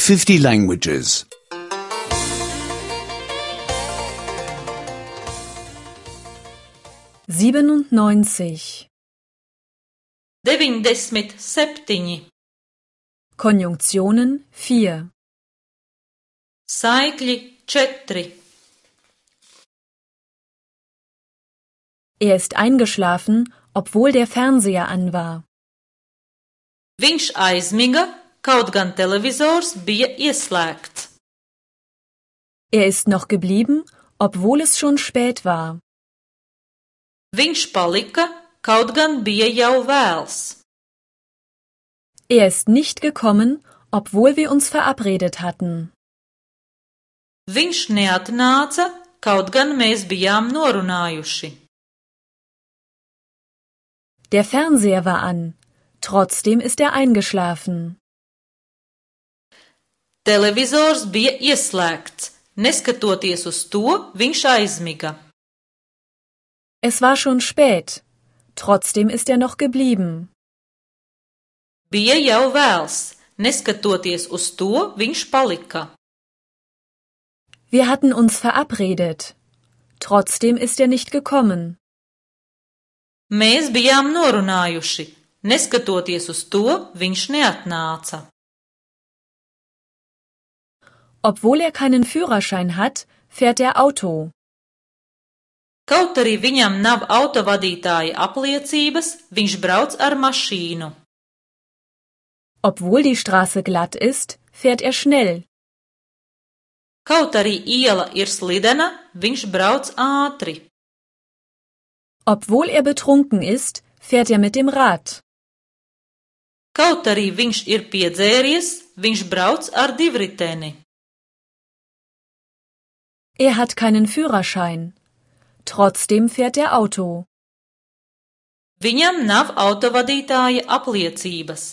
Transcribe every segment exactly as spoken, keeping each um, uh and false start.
fifty languages. siebenundneunzig. Deviņdesmit septiņi. Konjunktionen vier. Saikļi četri. Er ist eingeschlafen, obwohl der Fernseher an war. Viņš aizmiga, kaut gan televizors bija ieslēgts. Er ist noch geblieben, obwohl es schon spät war. Viņš palika, kaut gan bija jau vēls. Er ist nicht gekommen, obwohl wir uns verabredet hatten. Viņš neatnāca, kaut gan mēs bijām norunājuši. Der Fernseher war an, trotzdem ist er eingeschlafen. Televizors bija ieslēgts, neskatoties uz to, viņš aizmiga. Es war schon spät, trotzdem ist er noch geblieben. Bija jau vēls, neskatoties uz to, viņš palika. Wir hatten uns verabredet, trotzdem ist er nicht gekommen. Mēs bijām norunājuši, neskatoties uz to, viņš neatnāca. Obwohl er keinen Führerschein hat, fährt er Auto. Kaut arī viņam nav autovadītāja apliecības, viņš brauc ar mašīnu. Obwohl die Straße glatt ist, fährt er schnell. Kaut arī iela ir slidena, viņš brauc ātri. Obwohl er betrunken ist, fährt er mit dem Rad. Kaut arī viņš ir piedzēries, viņš brauc ar divriteni. Er hat keinen Führerschein. Trotzdem fährt er Auto. Viņam nav autovadītāja apliecības.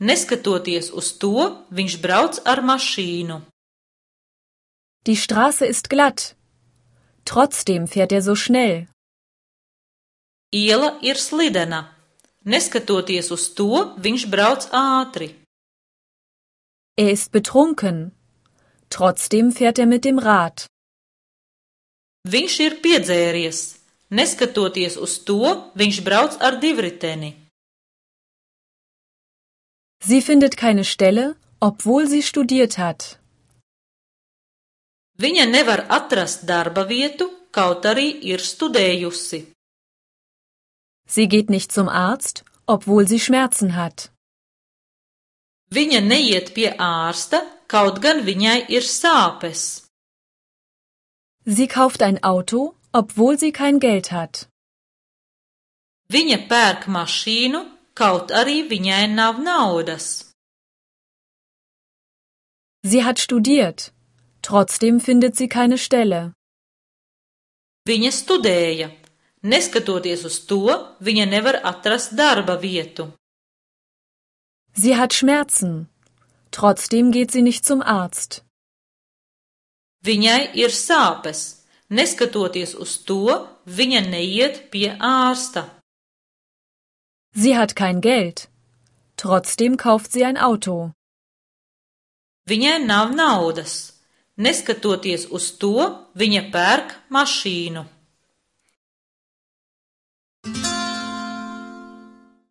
Neskatoties uz to, viņš brauc ar mašīnu. Die Straße ist glatt. Trotzdem fährt er so schnell. Iela ir slidena. Neskatoties uz to, viņš brauc ātri. Er ist betrunken. Trotzdem fährt er mit dem Rad. Viņš ir piedzēries. Neskatoties uz to, viņš brauc ar divriteni. Sie findet keine Stelle, obwohl sie studiert hat. Viņa nevar atrast darba vietu, kaut arī ir studējusi. Sie geht nicht zum Arzt, obwohl sie Schmerzen hat. Viņa neiet pie ārsta, kaut gan viņai ir sāpes. Sie kauft ein Auto, obwohl sie kein Geld hat. Viņa pērk mašīnu, kaut arī viņai nav naudas. Sie hat studiert. Trotzdem findet sie keine Stelle. Viņa studēja. Neskatoties uz to, viņa nevar atrast darba vietu. Sie hat Schmerzen. Trotzdem geht sie nicht zum Arzt. Viņai ir sāpes. Neskatoties uz to, viņa neiet pie ārsta. Sie hat kein Geld. Trotzdem kauft sie ein Auto. Viņai nav naudas. Neskatoties uz to, viņa pērk mašīnu.